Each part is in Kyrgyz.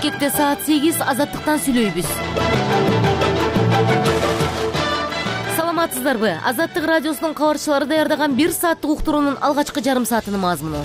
Бишкекте саат 8 Азаттыктан сүйлөйбүз. Саламатсыздарбы? Азаттык радиосунун кабарчылары даярдаган 1 сааттык уктуруунун алгачкы жарым саатынын мазмуну.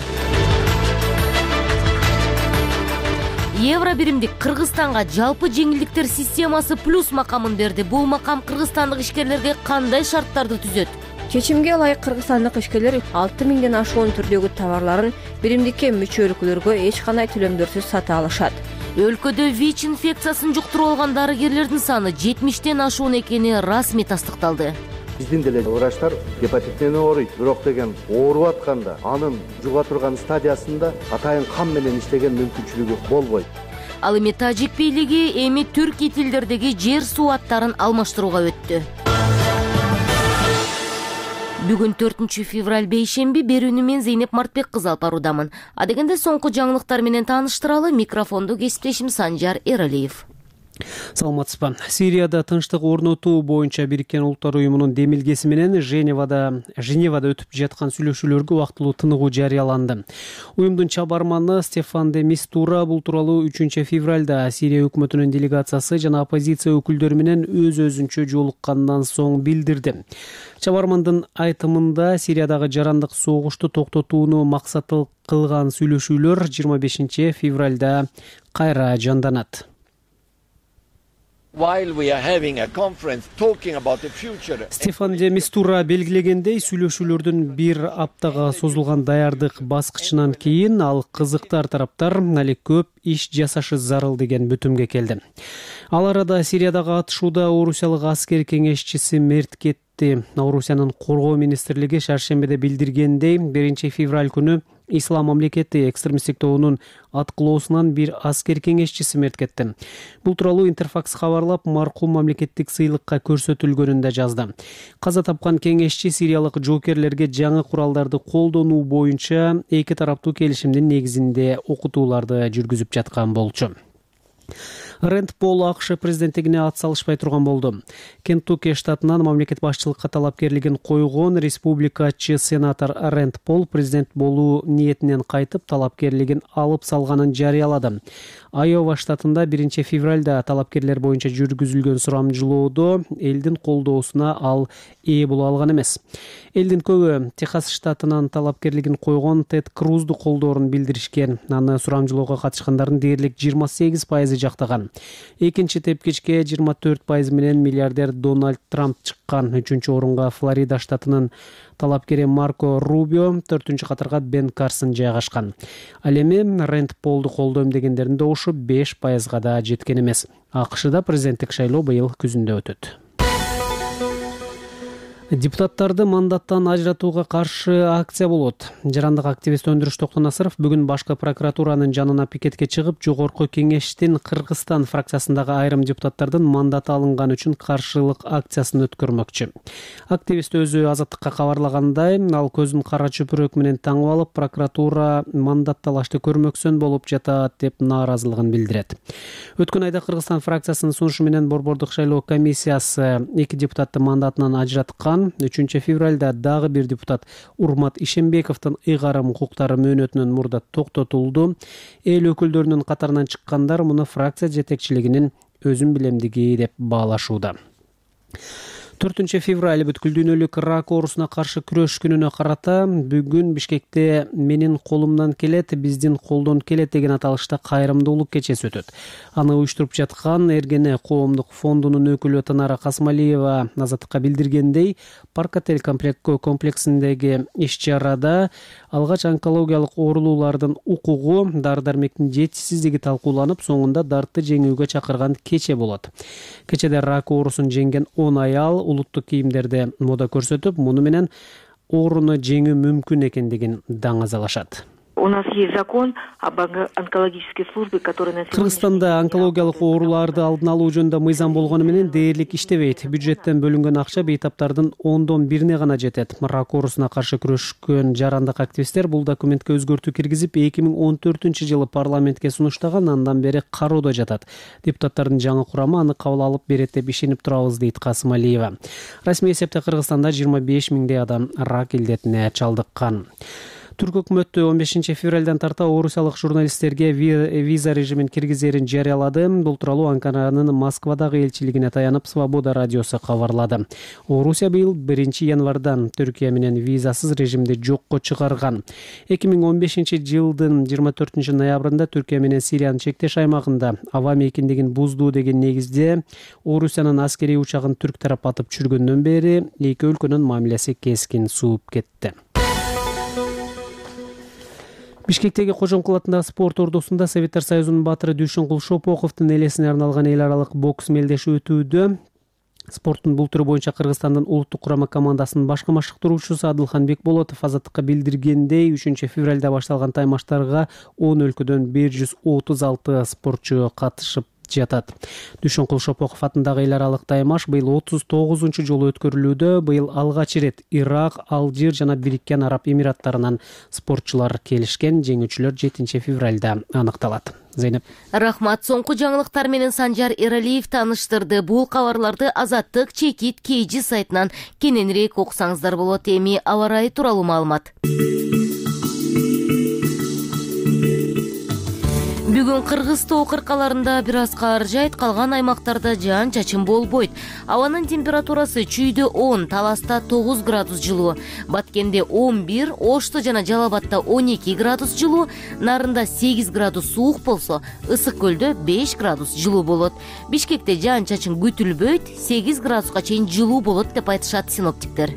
Евро биримдик Кыргызстанга жалпы жеңилдиктер системасы плюс макамын берди. Бул макам кыргызстандык ишкерлерге кандай шарттарды түзөт? Чечимге ылайык кыргызстандык ишкерлер 6000ден ашуун түрдөгү товарларын биримдикке мүчө өлкөлөргө эч кандай төлөмдөрсүз сата алышат. Өлкөдө ВИЧ инфекциясын жуктуруп алган дарыгерлердин саны 70тен ашуун экени расмий тастыкталды. Биздин деле врачтар гепатит менен ооруйт, бирок деген ооруп атканда анын жуга турган стадиясында атайын кан менен иштеген мүмкүнчүлүгү болбойт. Ал эми тажик бийлиги эми түркий тилдердеги жер суу аттарын алмаштырууга өттү. Бүгүн 4 февраль бейшемби, берүүнү мен Зейнеп Мартбек кызы алып баруудамын. Адегенде соңку жаңылыктар менен тааныштыралы, микрофонду кесиптешим Санжар Эралиев. Саламатсызбы. Сирияда тынчтык орнотуу боюнча Бириккен Улуттар уюмунун демилгеси менен Женевада өтүп жаткан сүйлөшүүлөргө убактылуу тыныгуу жарыяланды. Уюмдун чабарманы Стефан де Мистура бул тууралуу 3 февралда Сирия өкмөтүнүн делегациясы жана оппозиция өкүлдөрү менен өз-өзүнчө жолуккандан соң билдирди. Чабармандын айтымында Сириядагы жарандык согушту токтотууну максат кылган сүйлөшүүлөр 25 февралда кайра жанданат. Стефан де Мистура белгилегендей, сүйлөшүүлөрдүн 1 аптага созулган даярдык баскычынан кийин ал кызыктар тараптар али көп иш жасашы зарыл деген бүтүмгө келди. Ал арада Сириядагы атышууда Орусиялык аскер кеңешчиси мерт кетти. Орусиянын коргоо министрлиги шаршембиде билдиргендей, 1 февраль күнү Ислам мамлекети экстремисттик тобунун аткылоосунан 1 аскер кеңешчиси мерт кетти. Бул тууралуу Интерфакс кабарлап, маркум мамлекеттик сыйлыкка көрсөтүлгөнүн да жазды. Каза тапкан кеңешчи сириялык жоокерлерге жаңы куралдарды колдонуу боюнча эки тараптуу келишимдин негизинде окутууларды жүргүзүп жаткан болчу. Рэнд Пол АКШ президенттигине ат салышпай турган болду. Кентукки штатынан мамлекет башчылыкка талапкерлигин койгон республикачы сенатор Рэнд Пол президент болуу ниетинен кайтып, талапкерлигин алып салганын жарыялады. Айова штатында 1 февралда талапкерлер боюнча жүргүзүлгөн сурамжылоодо элдин колдоосуна ал ээ боло алган эмес. Элдин көбү Техас штатынан талапкерлигин койгон Тед Крузду колдоорун билдиришкен. Аны сурамжылоого катышкандардын дээрлик 28% жактаган. Экинчи тепкичке 24% менен миллиардер Дональд Трамп чыккан. 3-чү орунга Флорида штатынын талапкери Марко Рубио, 4-чү катарга Бен Карсон жайгашкан. Ал эми Рэнд Полду колдойм дегендердин добушу 5%га да жеткен эмес. АКШда президенттик шайлоо быйыл күзүндө өтөт. Депутаттарды мандаттан ажыратууга каршы акция болот. Жарандык активист Өндүрүш Токтонасыров бүгүн башкы прокуратуранын жанына пикетке чыгып, жогорку кеңештин Кыргызстан фракциясындагы айрым депутаттардын мандаты алынган үчүн каршылык акциясын өткөрмөкчү. Активист өзү Азаттыкка кабарлагандай, ал көзүн кара чөпүрөк менен таңып алып, прокуратура мандат талашты көрмөксөн болуп жатат деп нааразылыгын билдирет. Өткөн айда Кыргызстан фракциясынын сунушу менен Борбордук шайлоо комиссиясы 2 депутатты мандатынан ажыраткан. 3 февралда дагы 1 депутат Урмат Ишембековдун ыйгарым укуктары мөөнөтүнөн мурда токтотулду. Эл өкүлдөрүнүн катарынан чыккандар муну фракция жетекчилигинин өзүн билемдиги деп баалашууда. 4 февраль бүткүл дүйнөлүк рак оорусуна каршы күрөш күнүнө карата бүгүн Бишкекте менин колумдан келет, биздин колдон келет деген аталышта кайрымдуулук кечеси өтөт. Аны уюштуруп жаткан Эргене коомдук фондунун өкүлү Танара Касмалиева Азаттыкка билдиргендей, Парк-отель комплексиндеги иш-чарада алгач онкологиялык оорулуулардын укугу, дары-дармектин жетишсиздиги талкууланып, соңунда дартты жеңүүгө чакырган кече болот. Кечеде рак оорусун жеңген 10 аял улуттук кийимдерде мода көрсөтүп, муну менен ооруну жеңүү мүмкүн экендигин даңазалашат. У нас есть закон об онкологической службе, который на сегодня... Кыргызстанда онкологиялык ооруларды алдын алуу жөнүндө мыйзам болгону менен дээрлик иштебейт. Бюджеттен бөлүнгөн акча бейтаптардын 10/1 гана жетет. Рак оорусуна каршы күрөшкөн жарандык активисттер бул документке өзгөртүү киргизип, 2014-жылы парламентке сунуштаган, андан бери кароодо жатат. Депутаттардын жаңы курамы аны кабыл алып берет деп ишенип турабыз, дейт Касымалиева. Расмий эсепте Кыргызстанда 25 000 адам рак илдетине чалдыккан. Түрк өкмөтү 15 февралдан тарта орусиялык журналисттерге виза режимин киргизерин жарыялады. Бул тууралуу Анкаранын Москвадагы элчилигине таянып Свобода радиосу кабарлады. Орусия быйыл 1 январдан Түркия менен визасыз режимди жокко чыгарган. 2015 жылдын 24 ноябрында Түркия менен Сириянын чектеш аймагында аба мейкиндигин буздуу деген негизде Орусиянын аскерий учагын түрк тарап атып чүргөндөн бери эки өлкөнүн мамилеси кескин сууп кетти. Бишкектеги Кожомкул атындагы спорт ордусунда Советтер Союзунун баатыры Дүйшөнкул Шопоковдун элесине арналган эл аралык бокс мелдеши өтүүдө. Спорттун бул түрү боюнча Кыргызстандын улуттук курама командасынын башкы машыктыруучусу Адылхан Бекболотов Азаттыкка билдиргендей, 3 февралда башталган таймаштарга 10 өлкөдөн 136 спортчу катышып жатат. Дүйшөнкул Шопоков атындагы эл аралык таймаш быйыл 39 жолу өткөрүлүүдө. Быйыл алгач ирет Ирак, Алжир жана Бириккен Араб Эмираттарынан спортчулар келишкен. Жеңүүчүлөр 7 февралда аныкталат. Зейнеп. Рахмат. Соңку жаңылыктар менен Санжар Эралиев тааныштырды. Бул кабарларды Азаттык Чекит KG сайтынан кененирээк окусаңыздар болот. Эми аба ырайы тууралуу маалымат. Бүгүн Кыргыз тоо кыркаларында бир аз кар жайт, калган аймактарда жаан чачын болбойт. Абанын температурасы Чүйдө 10, Таласта 9 градус жылуу, Баткенде 11, Ошто жана Жалал Абадта 12 градус жылуу, Нарында 8 градус суук болсо, Ысык көлдө 5 градус жылуу болот. Бишкекте жаан чачын күтүлбөйт, 8 градуска чейин жылуу болот деп айтышат синоптиктер.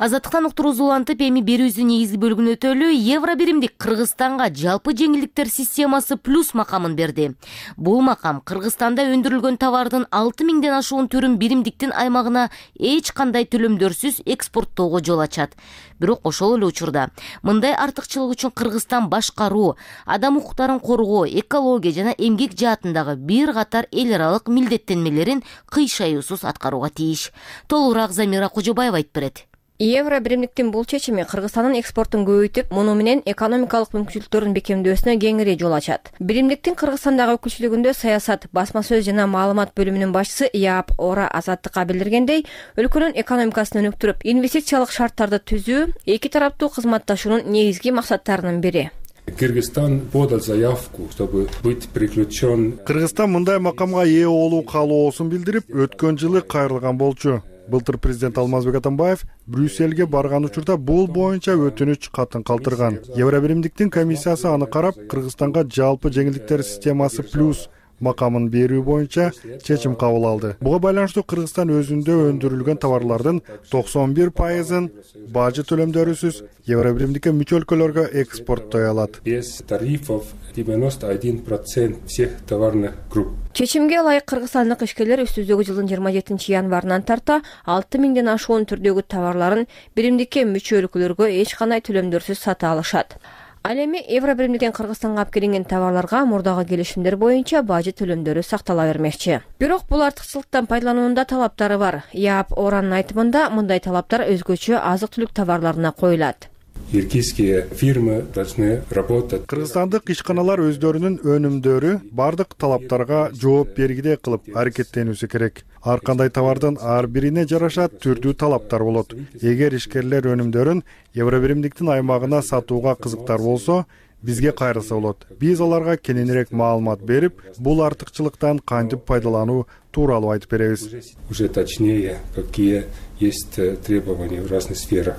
Азаттыктан уктуруу улантып, эми берүүбүздүн негизги бөлүгүн өтөлү. Евро биримдик Кыргызстанга жалпы жеңилдиктер системасы плюс макамын берди. Бул макам Кыргызстанда өндүрүлгөн товардын 6000ден ашуун түрүн биримдиктин аймагына эч кандай төлөмдөрсүз экспорттоого жол ачат. Бирок ошол эле учурда мындай артыкчылык үчүн Кыргызстан башкаруу, адам укуктарын коргоо, экология жана эмгек жаатындагы бир катар эл аралык милдеттенмелерин кыйшаюусуз аткарууга тийиш. Толугураак Замира Кожобаева айтып берет. Евро биримдиктин бул чечими Кыргызстандын экспортун көбөйтүп, муну менен экономикалык мүмкүнчүлүктөрүн бекемдөөсүнө кеңири жол ачат. Биримдиктин Кыргызстандагы өкүлчүлүгүндө саясат, басма сөз жана маалымат бөлүмүнүн башчысы Яап Ора Азаттыкка билдиргендей, өлкөнүн экономикасын өнүктүрүп, инвестициялык шарттарды түзүү эки тараптуу кызматташуунун негизги максаттарынын бири. Кыргызстан подал заявку, чтобы быть приключен. Кыргызстан мындай макамга ээ болуу каалоосун билдирип, өткөн жылы кайрылган болчу. Былтыр президент Алмазбек Атамбаев Брюссельге барган учурда бул боюнча өтүнүч катын калтырган. Евро биримдиктин комиссиясы аны карап, Кыргызстанга жалпы жеңилдиктер системасы плюс макамын берүү боюнча чечим кабыл алды. Буга байланыштуу Кыргызстан өзүндө өндүрүлгөн товарлардын 91%-ын бажы төлөмдөрүсүз евро биримдикке мүчө өлкөлөргө экспорттой алат. Без тарифов 91% всех товарных групп. Чечимге ылайык кыргызстандык ишкерлер үстүздөгү жылдын 27 январынан тарта 6000ден ашуун түрдөгү товарларын биримдикке мүчө өлкөлөргө эч кандай төлөмдөрсүз сата алышат. Ал эми евро биримдиктен Кыргызстанга алып келинген товарларга мурдагы келишимдер боюнча бажы төлөмдөрү сактала бермекчи. Бирок бул артыкчылыктан пайдалануунда талаптары бар. Яап Оранын айтымында мындай талаптар өзгөчө азык-түлүк товарларына коюлат. Киргизские фирмы должны работать. Кыргызстандык ишканалар өздөрүнүн өнүмдөрү бардык талаптарга жооп бергидей кылып аракеттенүүсү керек. Ар кандай товардын ар бирине жараша түрдүү талаптар болот. Эгер ишкерлер өнүмдөрүн евро биримдиктин аймагына сатууга кызыктар болсо, бизге кайрылса болот. Биз аларга кененирээк маалымат берип, бул артыкчылыктан кантип пайдалануу тууралуу айтып беребиз. Уже точнее, какие есть требования в разных сферах.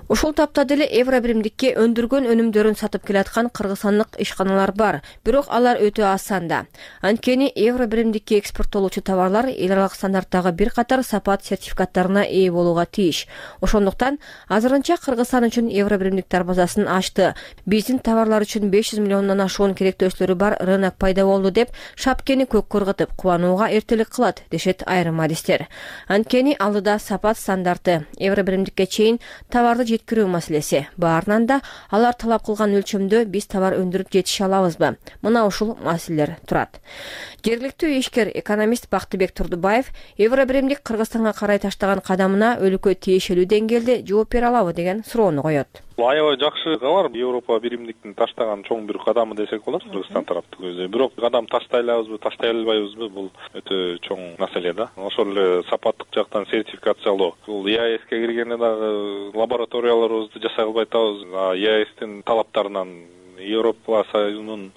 Ушул тапта деле евро биримдикке өндүргөн өнүмдөрүн сатып келаткан кыргызстандык ишканалар бар, бирок алар өтө аз санда. Анткени евро биримдикке экспорттолуучу товарлар эл аралык стандарттагы бир катар сапат сертификаттарына ээ болууга тийиш. Ошондуктан азырынча Кыргызстан үчүн евро биримдик дарбазасын ачты. Биздин товарлар үчүн 500 миллиондон ашуун керектөөчүлөрү бар рынок пайда болду деп шапкени көккө ыргытып кубанууга эртелик кылат, дешет айрым адистер. Анткени алдыда сапат стандарты, евро биримдикке чейин товарды жеткирүү маселеси. Баарынан да алар талап кылган өлчөмдө биз товар өндүрүп жетише алабызбы? Мына ушул маселелер турат. Жергиликтүү ишкер экономист Бактыбек Турдубаев евро биримдик Кыргызстанга карай таштаган кадамына өлкө тиешелүү деңгээлде жооп бере алабы деген суроону коет. Аябай жакшы кабар. Европа биримдиктин таштаган чоң бир кадамы десек болот Кыргызстан тараптын өзү. Бирок кадам таштай алабызбы, таштай албайбызбы, бул өтө чоң маселе да. Ошол эле сапаттык жактан сертификациялоо. Бул ЕАЭСке киргенде дагы лабораторияларыбызды жасай албай атабыз. ЕАЭСтин талаптарынан Европа Союзунун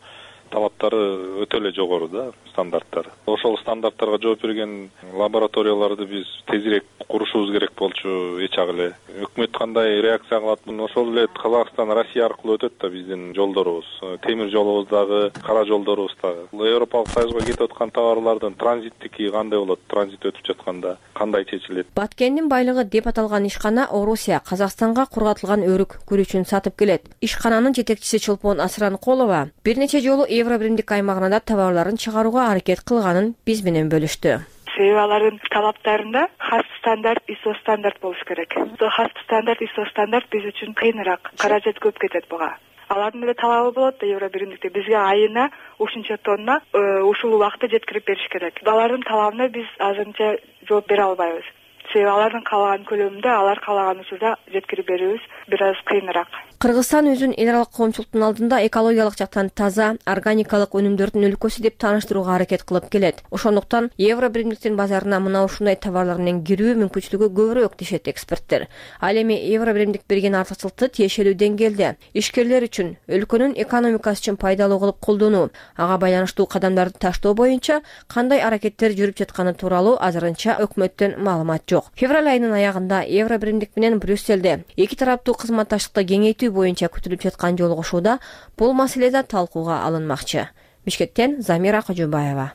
талаптары өтө эле жогору да, стандарттары. Ошол стандарттарга жооп берген лабораторияларды биз тезирээк курушубуз керек болчу, эч ак эле. Өкмөт кандай реакция кылат? Ошол эле Казакстан, Россия аркылуу өтөт да биздин жолдорубуз. Темир жолубуз дагы, кара жолдорубуз дагы. Европалык Союзга кетип аткан товарлардын транзиттики кандай болот? Транзит өтүп жатканда кандай чечилет? Баткендин байлыгы деп аталган ишкана Орусия Казакстанга кургатылган өрүк күрүчүн сатып келет. Ишкананын жетекчиси Чолпон Асранкулова бир нече жолу Евробиримдик аймагына да товарларын чыгарууга аракет кылганын биз менен бөлүштү. Себеби алардын талаптарында хас стандарт, ISO стандарт болуш керек. Хас стандарт, ISO стандарт биз үчүн кыйыныраак, каражат көп кетет буга. Алардын эле талабы болот да Евробиримдикте бизге айына ушунча тонна ушул убакытта жеткирип бериш керек. Алардын талабына биз азырынча жооп бере албайбыз. Себеби алардын каалаган көлөмүндө, алар каалаган учурда жеткирип берүүбүз бир аз кыйыныраак. Кыргызстан өзүн эл аралык коомчулуктун алдында экологиялык жактан таза, органикалык өнүмдөрдүн өлкөсү деп тааныштырууга аракет кылып келет. Ошондуктан Евробиримдиктин базарына мына ушундай товарлар менен кирүү мүмкүнчүлүгү көбүрөөк дешет эксперттер. Ал эми Евробиримдик берген артыкчылыкты тиешелүү деңгээлде ишкерлер үчүн, өлкөнүн экономикасы үчүн пайдалуу кылып колдонуу, ага байланыштуу кадамдарды таштоо боюнча кандай аракеттер жүрүп жатканы тууралуу азырынча өкмөттөн маалымат жок. Февраль айынын аягында Евробиримдик менен Брюсселде эки тараптуу кызматташтыкты кеңейтүү боюнча күтүлүп жаткан жолугушууда бул маселе да талкууга алынмакчы. Бишкектен Замира Кожобаева.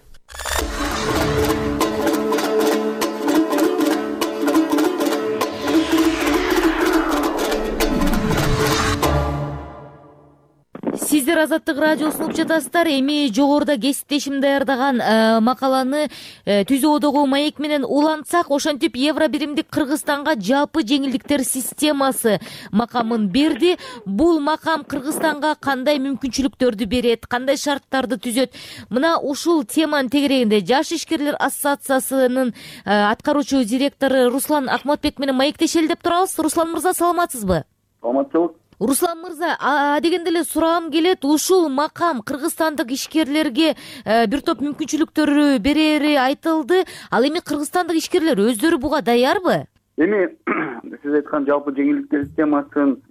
Сиздер Азаттык радиосун угуп жатасыздар. Эми жогоруда кесиптешим даярдаган макаланы Түз Оодогу маек менен улантсак, ошентип Евробиримдик Кыргызстанга жалпы жеңилдиктер системасы макамын берди. Бул макам Кыргызстанга кандай мүмкүнчүлүктөрдү берет, кандай шарттарды түзөт? Мына ушул теманын тегерегинде Жаш ишкерлер ассоциациясынын аткаруучу директору Руслан Акматбек менен маектешели деп турабыз. Руслан мырза, саламатсызбы? Саламатчылык. Руслан мырза, дегенде эле суроом келет, ушул макам кыргызстандык ишкерлерге бир топ мүмкүнчүлүктөрү берери айтылды. Ал эми кыргызстандык ишкерлер өздөрү буга даярбы? Эми сиз айткан жалпы жеңилдиктер системасын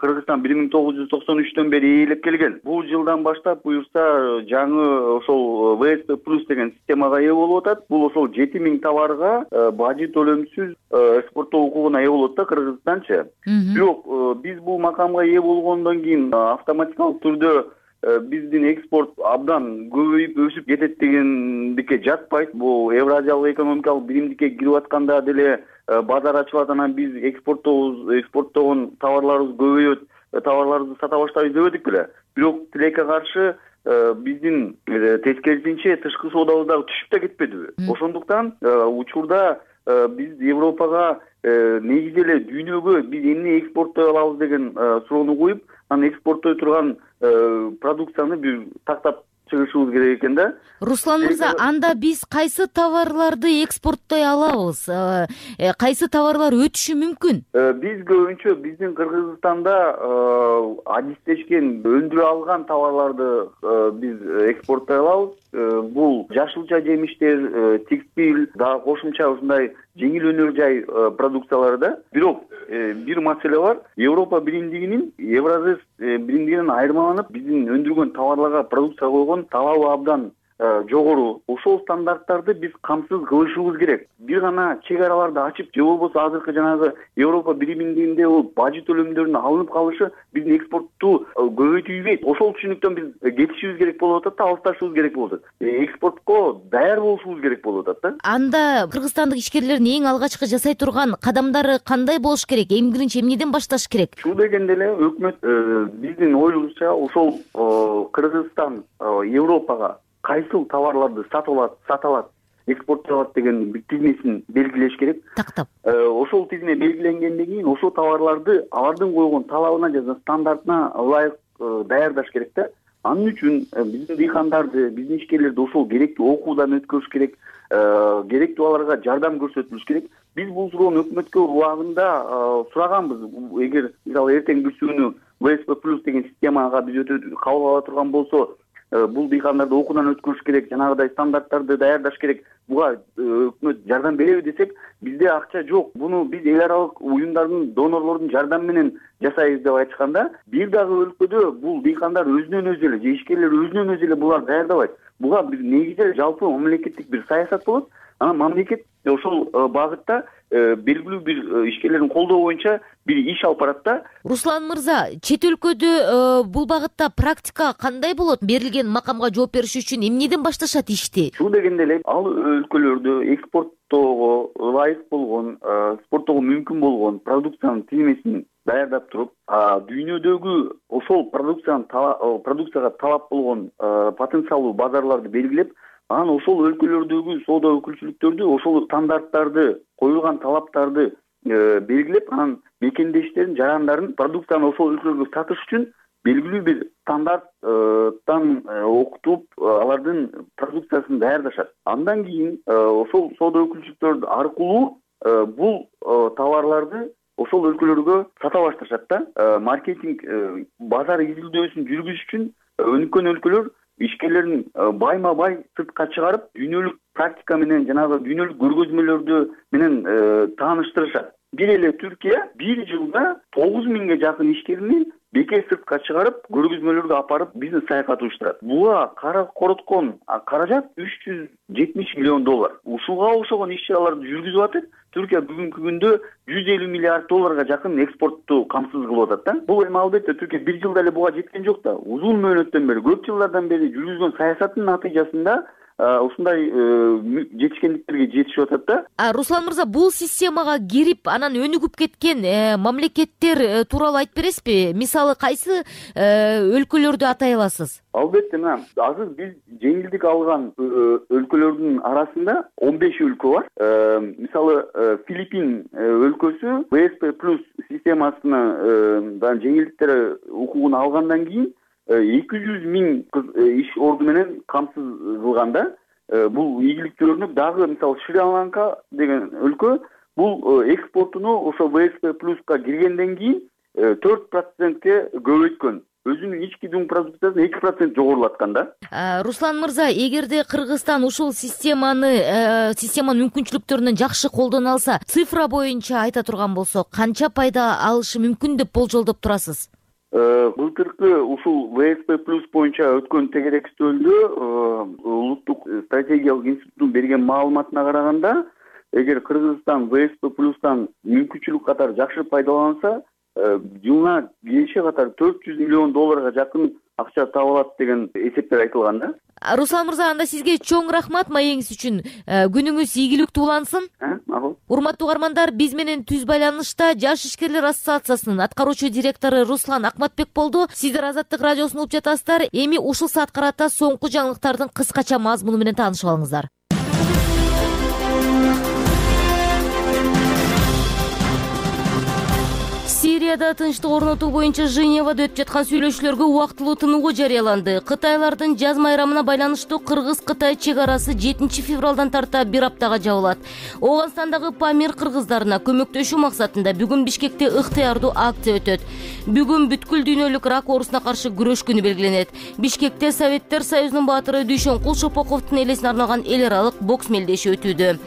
Кыргызстан 1993-төн бери ээлеп келген. Бул жылдан баштап буюрса жаңы ошол ВСП плюс деген системага ээ болуп атат. Бул ошол 7000 товарга бажы төлөмсүз экспорттоо укугуна ээ болот да Кыргызстанчы. Бирок биз бул макамга ээ болгондон кийин автоматикалык түрдө биздин экспорт абдан көбөйүп өсүп кетет дегендикке жатпайт. Бул Евразиялык экономикалык биримдикке кирип атканда деле базар ачылат, анан биз экспорттогон товарларыбыз көбөйөт, товарларыбызды сата баштайбыз дебедик беле. Бирок тилекке каршы биздин тескерисинче тышкы соодабыз дагы түшүп да кетпедиби? Ошондуктан учурда биз Европага негизи эле дүйнөгө биз эмне экспорттой алабыз деген суроону коюп, анан экспорттой турган продукцияны бир тактап чыгышыбыз керек экен да. Руслан мырза, анда биз кайсы товарларды экспорттой алабыз? Кайсы товарлар өтүшү мүмкүн? Биз көбүнчө биздин Кыргызстанда адистешкен, өндүрө алган товарларды биз экспорттой алабыз. Бул жашылча жемиштер, текстиль, дагы кошумча ушундай жеңил өнөр жай продукциялары да. Бирок бир маселе бар. Европа биримдигинин, Евразис биримдигинен айырмаланып, биздин өндүргөн товарларга продукция койгон талабы абдан жогору. Ошол стандарттарды биз камсыз кылышыбыз керек. Бир гана чек араларды ачып, же болбосо азыркы жанагы Европа биримдигинде бул бажы төлөмдөрүнүн алынып калышы биздин экспортту көбөйтүүбөйт. Ошол түшүнүктөн биз кетишибиз керек болуп атат да, алысташыбыз керек болуп атат. Экспортко даяр болушубуз керек болуп атат да. Анда кыргызстандык ишкерлердин эң алгачкы жасай турган кадамдары кандай болуш керек? Эң биринчи эмнеден башташ керек? Ушул дегенде эле өкмөт биздин оюбузча ошол Кыргызстан Европага кайсыл товарларды сата алат, экспорттой алат деген бир тизмесин белгилеш керек. Тактап. Ошол тизме белгиленгенден кийин ошол товарларды алардын койгон талабына жана стандартына ылайык даярдаш керек да. Анын үчүн биздин дыйкандарды, биздин ишкерлерди ошол керектүү окуудан өткөрүш керек. керектүү аларга жардам көрсөтүлүш керек. Биз бул суроону өкмөткө убагында сураганбыз. Эгер мисалы эртең күнү ВСП плюс деген системага биз кабыл ала турган болсо, бул дыйкандарды окуудан өткөрүш керек, жанагыдай стандарттарды даярдаш керек. Буга өкмөт жардам береби десек, бизде акча жок. Буну биз эл аралык уюмдардын, донорлордун жардамы менен жасайбыз деп айтышканда, бир дагы өлкөдө бул дыйкандар өзүнөн өзү эле, же ишкерлер өзүнөн өзү эле буларды даярдабайт. Буга бир негизи жалпы мамлекеттик бир саясат болот. Анан мамлекет ошол багытта белгилүү бир ишкерлердин колдоо боюнча бир иш алып барат да. Руслан мырза, чет өлкөдө бул багытта практика кандай болот? Берилген макамга жооп бериш үчүн эмнеден башташат ишти? Шул дегенде эле ал өлкөлөрдө экспорттоого ылайык болгон, экспорттоого мүмкүн болгон продукциянын тизмесин даярдап туруп, дүйнөдөгү ошол продукцияга талап болгон потенциалдуу базарларды белгилеп, анан ошол өлкөлөрдөгү соода өкүлчүлүктөрдү ошол стандарттарды, коюлган талаптарды белгилеп, анан мекендештерин, жарандарын продукцияны ошол өлкөлөргө сатыш үчүн белгилүү бир стандарттан окутуп, алардын продукциясын даярдашат. Андан кийин ошол соода өкүлчүлүктөр аркылуу бул товарларды ошол өлкөлөргө сата башташат да. Маркетинг, базар изилдөөсүн жүргүзүш үчүн өнүккөн өлкөлөр ишкерлерин байма-бай сыртка чыгарып, дүйнөлүк практика менен, жанагы дүйнөлүк көргөзмөлөрдү менен тааныштырышат. Бир эле Түркия бир жылда 9000ге жакын ишкерини бекер сыртка чыгарып, көргөзмөлөргө апарып, бизнес саякат уюштурат. Буга короткон каражат $370 миллион. Ушуга окшогон иш-чараларды жүргүзүп атат. Түркия бүгүнкү күндө $150 миллиард жакын экспортту камсыз кылып атат да. Бул эми албетте Түркия бир жылда эле буга жеткен жок да. Узун мөөнөттөн бери, көп жылдардан бери жүргүзгөн саясаттын натыйжасында ушундай жетишкендиктерге жетишип атат да. Руслан мырза, бул системага кирип, анан өнүгүп кеткен мамлекеттер тууралуу айтып бересизби? Мисалы, кайсы өлкөлөрдү атай аласыз? Албетте, мына азыр биз жеңилдик алган өлкөлөрдүн арасында 15 өлкө бар. Мисалы, Филиппин өлкөсү ВСП плюс системасына жеңилдиктер укугун алгандан кийин 200 миң иш орду менен камсыз кылганда, бул ийгиликтүүлөрүнү дагы мисалы Шри-Ланка деген өлкө бул экспортуну ошо ВСП плюска киргенден кийин 4%ке көбөйткөн. Өзүнүн ички дүң продукциясын 2% жогорулаткан да. Руслан мырза, эгерде Кыргызстан ушул системанын мүмкүнчүлүктөрүнөн жакшы колдоно алса, цифра боюнча айта турган болсо, канча пайда алышы мүмкүн деп болжолдоп турасыз? Былтыркы ушул ВСП плюс боюнча өткөн тегеректөөлдө Улуттук стратегиялык институттун берген маалыматына караганда, эгер Кыргызстан ВСП плюстан мүмкүнчүлүк катары жакшы пайдаланса, жылына киреше катары $400 миллион жакын акча таап алат деген эсептер айтылган да. Руслан мырза, анда сизге чоң рахмат маегиңиз үчүн. Күнүңүз ийгиликтүү улансын. Урматтуу угармандар, биз менен түз байланышта Жаш ишкерлер ассоциациясынын аткаруучу директору Руслан Акматбек болду. Сиздер Азаттык радиосун угуп жатасыздар. Эми ушул саат карата соңку жаңылыктардын кыскача мазмуну менен таанышып алыңыздар. Сирияда тынчтык орнотуу боюнча Женевада өтүп жаткан сүйлөшүүлөргө убактылуу тынугу жарыяланды. Кытайлардын жаз майрамына байланыштуу Кыргыз-Кытай чек арасы 7 февралдан тарта бир аптага жабылат. Ооганстандагы Памир кыргыздарына көмөктөшүү максатында бүгүн Бишкекте ыктыярдуу акция өтөт. Бүгүн бүткүл дүйнөлүк рак оорусуна каршы күрөш күнү белгиленет. Бишкекте Советтер Союзунун баатыры Дүйшөнкул Шопоковдун элесине арналган эл аралык бокс мелдеши өтүүдө.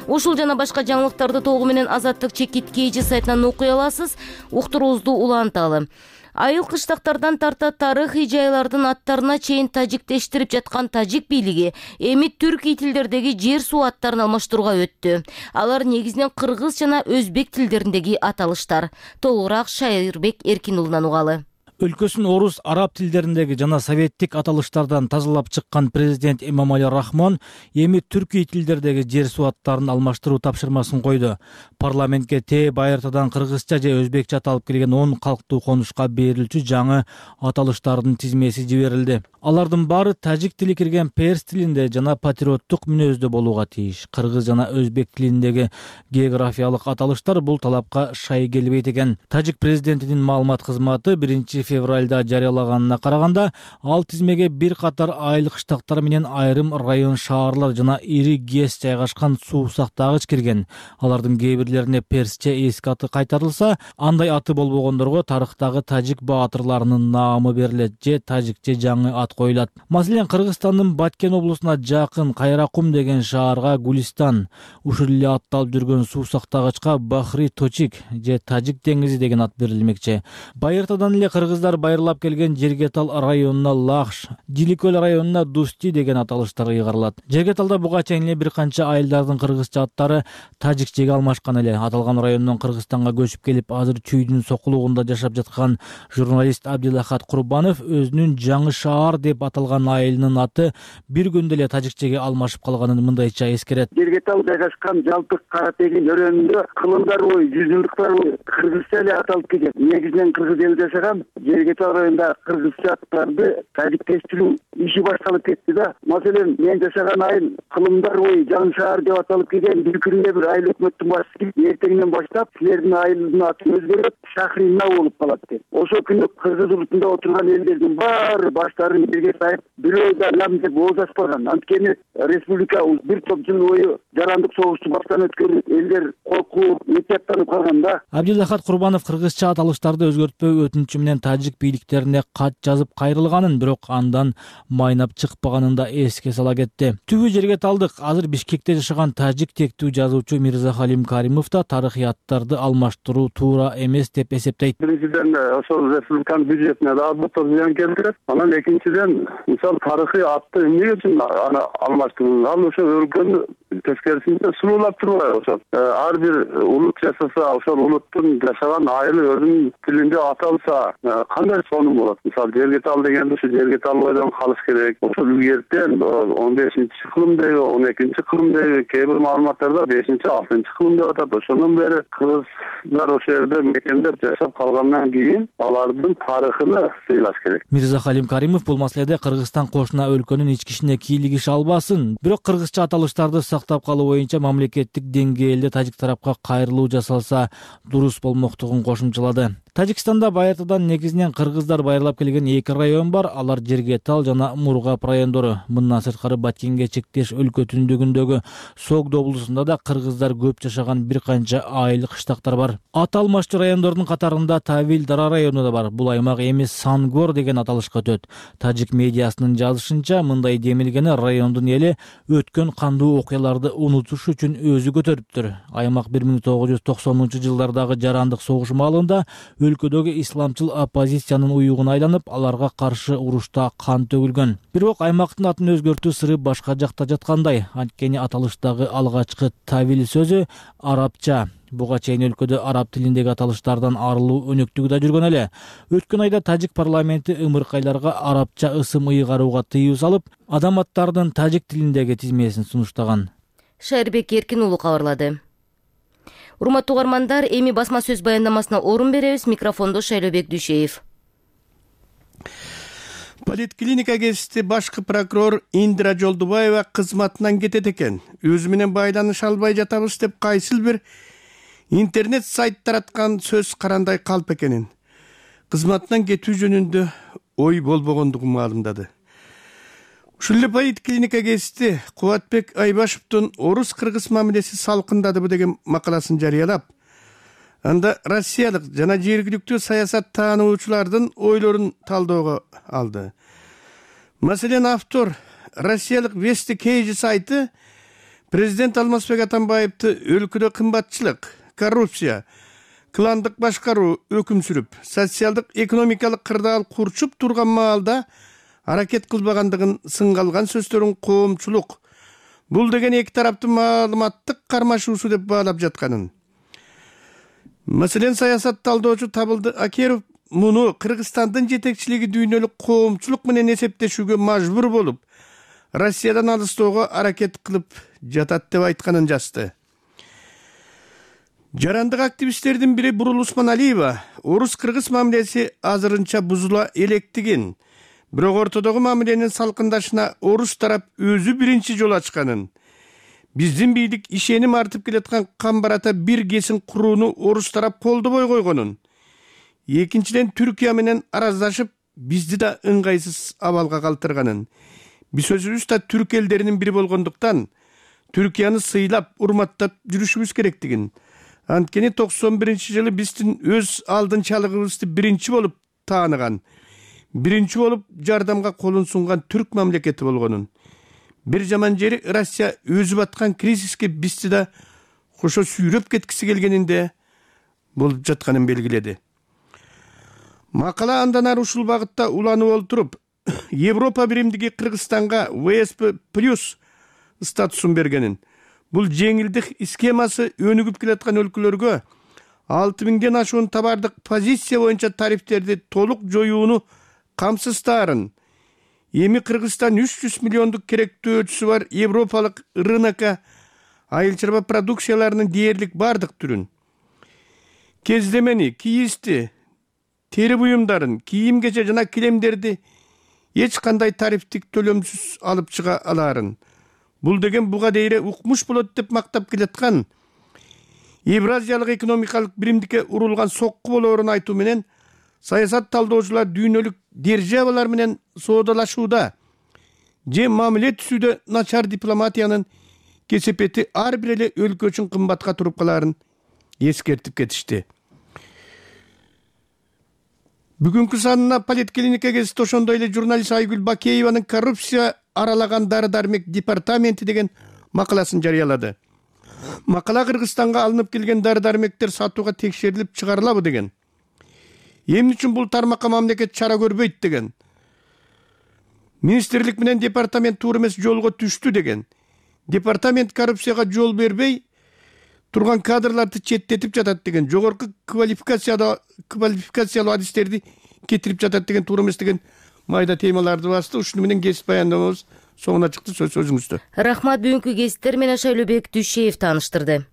Ушул жана башка жаңылыктарды толугу менен Азаттык чекит KG сайтынан окуй аласыз. Уктуруубузду уланталы. Айыл кыштактардан тарта тарыхый жайлардын аттарына чейин тажиктештирип жаткан тажик бийлиги эми түркий тилдердеги жер суу аттарын алмаштырууга өттү. Алар негизинен кыргыз жана өзбек тилдериндеги аталыштар. Толугураак Шайырбек Эркин уулунан угалы. Өлкөсүн орус, араб тилдериндеги жана советтик аталыштардан тазалап чыккан президент Эмомали Рахмон эми түркий тилдердеги жер суу аттарын алмаштыруу тапшырмасын койду. Парламентке байыртадан кыргызча же өзбекче аталып келген 10 калктуу конушка берилчү жаңы аталыштардын тизмеси жиберилди. Алардын баары тажик тили кирген перс тилинде жана патриоттук мүнөздө болууга тийиш. Кыргыз жана өзбек тилиндеги географиялык аталыштар бул талапка шай келбейт экен. Тажик президентинин маалымат кызматы 1 февралда жарыялаганына караганда, ал тизмеге бир катар айыл кыштактар менен айрым район, шаарлар жана ири ГЭС жайгашкан суу сактагыч кирген. Алардын кээ бирлерине персче эски аты кайтарылса, андай аты болбогондорго тарыхтагы тажик баатырларынын наамы берилет же тажикче жаңы ат коюлат. Маселен, Кыргызстандын Баткен облусуна жакын Кайракум деген шаарга Гулистан, ушул эле атталып жүргөн суу сактагычка Бахри Точик же Тажик деңизи деген ат берилмекчи. Байыртадан эле кыргыздар байырлап келген Жергетал районуна Лахш, Диликөл районуна Дусти деген аталыштар ыйгарылат. Жергеталда буга чейин эле бир канча айылдардын кыргызча аттары тажикчеге алмашкан эле. Аталган райондон Кыргызстанга көчүп келип, азыр чүйдүн сокулугунда жашап жаткан журналист Абдилахат Курбанов өзүнүн Жаңы шаар деп аталган айылынын аты бир күндө эле тажикчеге алмашып калганын мындайча эскерет. Жергетал жайгашкан Жалпык Каратегин өрөөнүндө кылымдар бою, жүзүлдүктөр бою кыргызча эле аталып келген. Негизинен кыргыз эл жашаган Жергетал районунда кыргызча аттарды тажикчештирүү иши башталып кетти да. Маселен, мен жашаган айыл кылымдар бою Жаңы шаар деп аталып келген. Бир күндө бир айыл өкмөттүн башчысы эртеңден баштап силердин айылдын аты өзгөрүп Шахрина болуп калат деп. Ошол күнү кыргыз урутунда отурган элдердин баары баштарын жерге сайып, бирөө да лам деп ооз ачпаган. Анткени республика бир топ жыл бою жарандык согушту баштан өткөрүп, элдер коркуп, этияттанып калган да. Абдилахат Курбанов кыргызча аталыштарды өзгөртпөө өтүнүчү менен тажик бийликтерине кат жазып кайрылганын, бирок андан майнап чыкпаганын да эске сала кетти. Түбү Жергеталдык азыр Бишкекте жашаган тажик тектүү жазуучу Мирзахалим Каримов да тарыхый аттарды алмаштыруу туура эмес деп эсептейт. Биринчиден ошол республиканын бюджетине да албетте зыян келтирет. Анан экинчиден, мисалы тарыхый атты эмне үчүн аны алмаштыруу? Ал ошо өлкөнү тескерисинче сулуулап турбайбы ошол. Ар бир улут жашаса, ошол улуттун жашаган айылы өзүнүн тилинде аталса, кандай сонун болот? Мисалы Жергетал дегенде ушу Жергетал бойдон калыш керек. Ошол ертең 15-кылымдагы, 12-кылымдагы кээ бир маалыматтарда 5-6-кылым деп атат. Ошондон бери кыргыздар ошол жерде мекендеп жашап калгандан кийин алардын тарыхына сыйлаш керек. Мирзахалим Каримов бул маселеде Кыргызстан кошуна өлкөнүн ички ишине кийлигиш албасын, бирок кыргызча аталыштарды сактап калуу боюнча мамлекеттик деңгээлде тажик тарапка кайрылуу жасалса дурус болмоктугун кошумчалады. Тажикстанда байыртадан негизинен кыргыздар байырлап келген 2 район бар. Алар Жергетал жана Мургап райондору. Мындан сырткары Баткенге чектеш өлкө түндүгүндөгү Согдо облусунда да кыргыздар көп жашаган бир канча айыл кыштактар бар. Ат алмаштуу райондордун катарында Тавил Дара району да бар. Бул аймак эми Сангор деген аталышка өтөт. Тажик медиасынын жазышынча, мындай демилгени райондун эли өткөн кандуу окуяларды унутуш үчүн өзү көтөрүптүр. Аймак 1990-жылдардагы жарандык согуш маалында өлкөдөгү исламчыл оппозициянын уюгуна айланып, аларга каршы урушта кан төгүлгөн. Бирок аймактын атын өзгөртүү сыры башка жакта жаткандай. Анткени аталыштагы алгачкы Тавил сөзү арабча. Буга чейин өлкөдө араб тилиндеги аталыштардан арылуу өнөктүгү да жүргөн эле. Өткөн айда тажик парламенти ымыркайларга арабча ысым ыйгарууга тыюу салып, адам аттарынын тажик тилиндеги тизмесин сунуштаган. Шайырбек Эркин уулу кабарлады. Урматтуу угармандар, эми басма сөз баяндамасына орун беребиз. Микрофондо Шайлообек Дүйшеев. Политклиника гезити башкы прокурор Индира Жолдубаева кызматынан кетет экен. Өзү менен байланыша албай жатабыз деп кайсыл бир интернет сайт тараткан сөз карандай калп экенин, кызматынан кетүү жөнүндө ой болбогондугун маалымдады. Ушул эле политклиника гезити Кубатбек Айбашевдун орус-кыргыз мамилеси салкындадыбы деген макаласын жарыялап, анда россиялык жана жергиликтүү саясат таануучулардын ойлорун талоого алды. Маселен, автор россиялык Вести Кейджи сайты президент Алмазбек Атамбаевди өлкөдө кымбатчылык, коррупция, кландык башкаруу өкүм сүрүп, социалдык экономикалык кырдаал курчуп турган маалда аракет кылбагандыгын сынга алган сөздөрүн коомчулук бул деген эки тараптын маалыматтык кармашуусу деп баалап жатканын. Маселен, саясат талдоочу Табылды Акеров муну Кыргызстандын жетекчилиги дүйнөлүк коомчулук менен эсептешүүгө мажбур болуп, Россиядан алыстоого аракет кылып жатат деп айтканын жазды. Жарандык активисттердин бири Бурул Усманалиева орус-кыргыз мамилеси азырынча бузула электигин, бирок ортодогу мамиленин салкындашына орус тарап өзү биринчи жол ачканын, биздин бийлик ишеним артып келаткан Камбарата бир кесин курууну орус тарап колдобой койгонун, экинчиден Түркия менен араздашып бизди да ыңгайсыз абалга калтырганын, биз өзүбүз да түрк элдеринин бири болгондуктан Түркияны сыйлап, урматтап жүрүшүбүз керектигин, анткени 91-жылы биздин өз алдынчалыгыбызды биринчи болуп тааныган, биринчи болуп жардамга колун сунган түрк мамлекети болгонун, бир жаман жери Россия өзү баткан кризиске бизди да кошо сүйрөп кеткиси келгенинде болуп жатканын белгиледи. Макала андан ары ушул багытта уланып олтуруп, Европа биримдиги Кыргызстанга ВСП+ статусун бергенин, бул жеңилдик схемасы өнүгүп келаткан өлкөлөргө 6000ден ашуун товардык позиция боюнча тарифтерди толук жоюуну камсыздаарын, эми Кыргызстан 300 миллиондук керектөөчүсү бар европалык рынокко айыл чарба продукцияларынын дээрлик бардык түрүн, кездемени, кийизди, тери буюмдарын, кийим-кече жана килемдерди эч кандай тарифтик төлөмсүз алып чыга алаарын, бул деген буга дейре укмуш болот деп мактап келаткан Евразиялык экономикалык биримдикке урулган сокку болоорун айтуу менен саясат талдоочулар дүйнөлүк державалар менен соодалашууда же мамиле түзүүдө начар дипломатиянын кесепети ар бир эле өлкө үчүн кымбатка туруп калаарын эскертип кетишти. Бүгүнкү санына политклиника гезити ошондой эле журналист Айгүл Бакееванын коррупция аралаган дары-дармек департаменти деген макаласын жарыялады. Макала Кыргызстанга алынып келген дары-дармектер сатууга текшерилип чыгарылабы деген. Эмне үчүн бул тармакка мамлекет чара көрбөйт деген. Министрлик менен департамент туура эмес жолго түштү деген. Департамент коррупцияга жол бербей турган кадрларды четтетип жатат деген. Жогорку квалификациялуу адистерди кетирип жатат деген, туура эмес деген майда темаларды басты. Ушуну менен кесип баяндамабыз соңуна чыкты. Сөз өзүңүздө. Рахмат, бүгүнкү кесиптер менен Шайлообек Дүйшеев тааныштырды.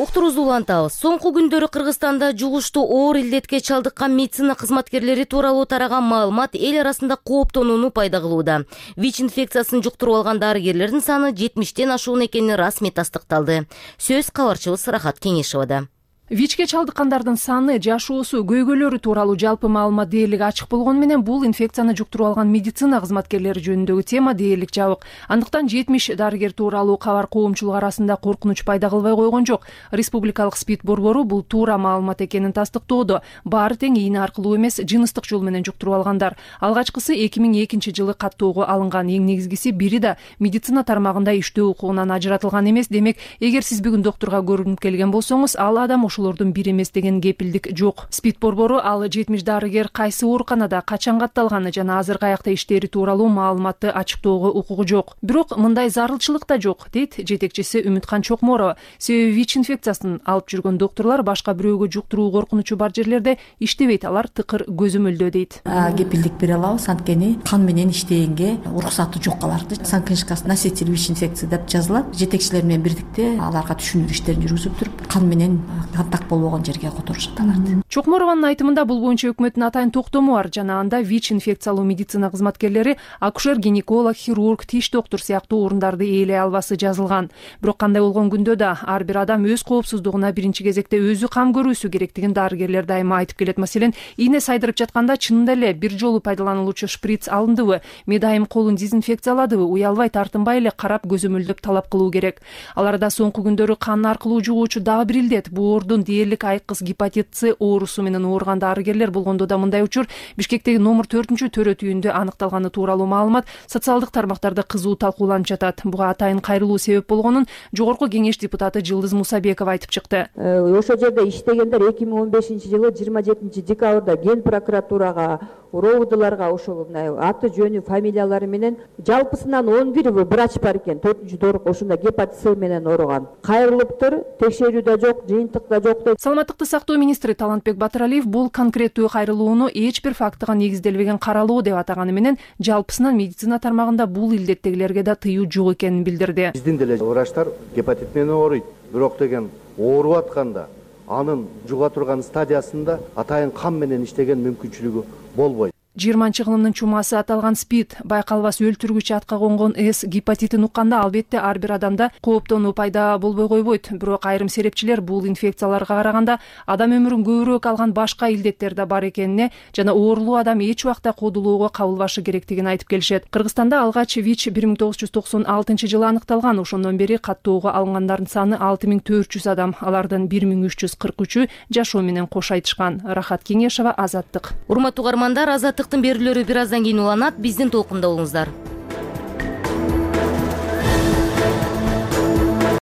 Уктурубузду улантабыз. Соңку күндөрү Кыргызстанда жугуштуу оор илдетке чалдыккан медицина кызматкерлери тууралуу тараган маалымат эл арасында кооптонууну пайда кылууда. ВИЧ инфекциясын жуктуруп алган дарыгерлердин саны 70тен ашуун экени расмий тастыкталды. Сөз кабарчыбыз Рахат Кеңешевада. ВИЧке чалдыккандардын саны, жашоосу, көйгөйлөрү тууралуу жалпы маалымат дээрлик ачык болгону менен бул инфекцияны жуктуруп алган медицина кызматкерлери жөнүндөгү тема дээрлик жабык. Андыктан 70 дарыгер тууралуу кабар коомчулук арасында коркунуч пайда кылбай койгон жок. Республикалык СПИД борбору бул туура маалымат экенин тастыктоодо. Баары тең ийне аркылуу эмес, жыныстык жол менен жуктуруп алгандар. Алгачкысы 2002-жылы каттоого алынган. Эң негизгиси бири да медицина тармагында иштөө укугунан ажыратылган эмес. Демек, эгер сиз бүгүн доктурга көрүнүп келген болсоңуз, ал адам ошолордун бири эмес деген кепилдик жок. СПИД борбору ал 70 дарыгер кайсы ооруканада качан катталганы жана азыр каякта иштери тууралуу маалыматты ачыктоого укугу жок. Бирок мындай зарылчылык да жок, дейт жетекчиси Үмүткан Чокморова. Себеби ВИЧ инфекциясын алып жүргөн доктурлар башка бирөөгө жуктуруу коркунучу бар жерлерде иштебейт, алар тыкыр көзөмөлдөө дейт. Кепилдик бере алабыз, анткени кан менен иштегенге уруксаты жок аларды. Санкнижкасы носитель ВИЧ инфекции деп жазылат. Жетекчилер менен бирдикте аларга түшүндүрүү иштерин жүргүзүп туруп, кан менен контакт болбогон жерге которушат аларды. Чокморованын айтымында бул боюнча өкмөттүн атайын токтому бар. Жана анда ВИЧ инфекциялуу медицина кызматкерлери акушер, гинеколог, хирург, тиш доктор сыяктуу орундарды ээлей албасы жазылган. Бирок кандай болгон күндө да ар бир адам өз коопсуздугуна биринчи кезекте өзү кам көрүүсү керектигин дарыгерлер дайыма айтып келет. Маселен, ийне сайдырып жатканда чынында эле бир жолу пайдаланылуучу шприц алындыбы, медайым колун дезинфекцияладыбы, уялбай тартынбай эле карап көзөмөлдөп талап кылуу керек. Аларда соңку күндөрү кан аркылуу жугуучу дагы бир илдет, бу оордун дээрлик айкыз гепатит С оорусу менен ооруган дарыгерлер болгондо да мындай учур Бишкектеги номер 4-төрөт үйүндө аныкталганы тууралуу маалымат социалдык тармактарда кызуу талкууланып жатат. Буга атайын кайрылуу себеп болгонун Жогорку кеңеш депутаты Жылдыз Мусабекова айтып чыкты. Ошол жерде иштегендер 2015-жылы 27-декабрда Ген прокуратурага, робудуларга ошол аты жөнү, фамилиялары менен жалпысынан 11 врач бар экен. 4-дорuk ошондо гепатит С менен ооруган. Кайрылыптыр, текшерүү да жок, жыйынтык да жок деп. Саламаттыкты сактоо министри Талантбек Батыралиев бул конкреттүү кайрылууну эч бир фактыга негизделбеген каралоо деп атаганы менен жалпысынан медицина тармагында бул илдеттегилерге да тыюу жок экенин билдирди. Биздин деле врачтар гепатит менен ооруйт. Бирок деген ооруп атканда анын жуга турган стадиясында атайын кан менен иштеген мүмкүнчүлүгү болбойт. 20-кылымдын чумасы аталган СПИД байкалбас өлтүргүч атка конгон С гепатитин укканда албетте ар бир адамда кооптонуу пайда болбой койбойт. Бирок айрым серепчилер бул инфекцияларга караганда адам өмүрүн көбүрөөк алган башка илдеттер да бар экенине жана оорулуу адам эч убакта кодулоого кабылбашы керектигин айтып келишет. Кыргызстанда алгач ВИЧ 1996-жылы аныкталган. Ошондон бери каттоого алынгандардын саны 6400 адам. Алардын 1343-ү жашоо менен кош айтышкан. Рахат Кеңешова, Азаттык. Урматтуу угармандар, Азаттыктын берүүлөрү бир аздан кийин уланат. Биздин толкунда болуңуздар.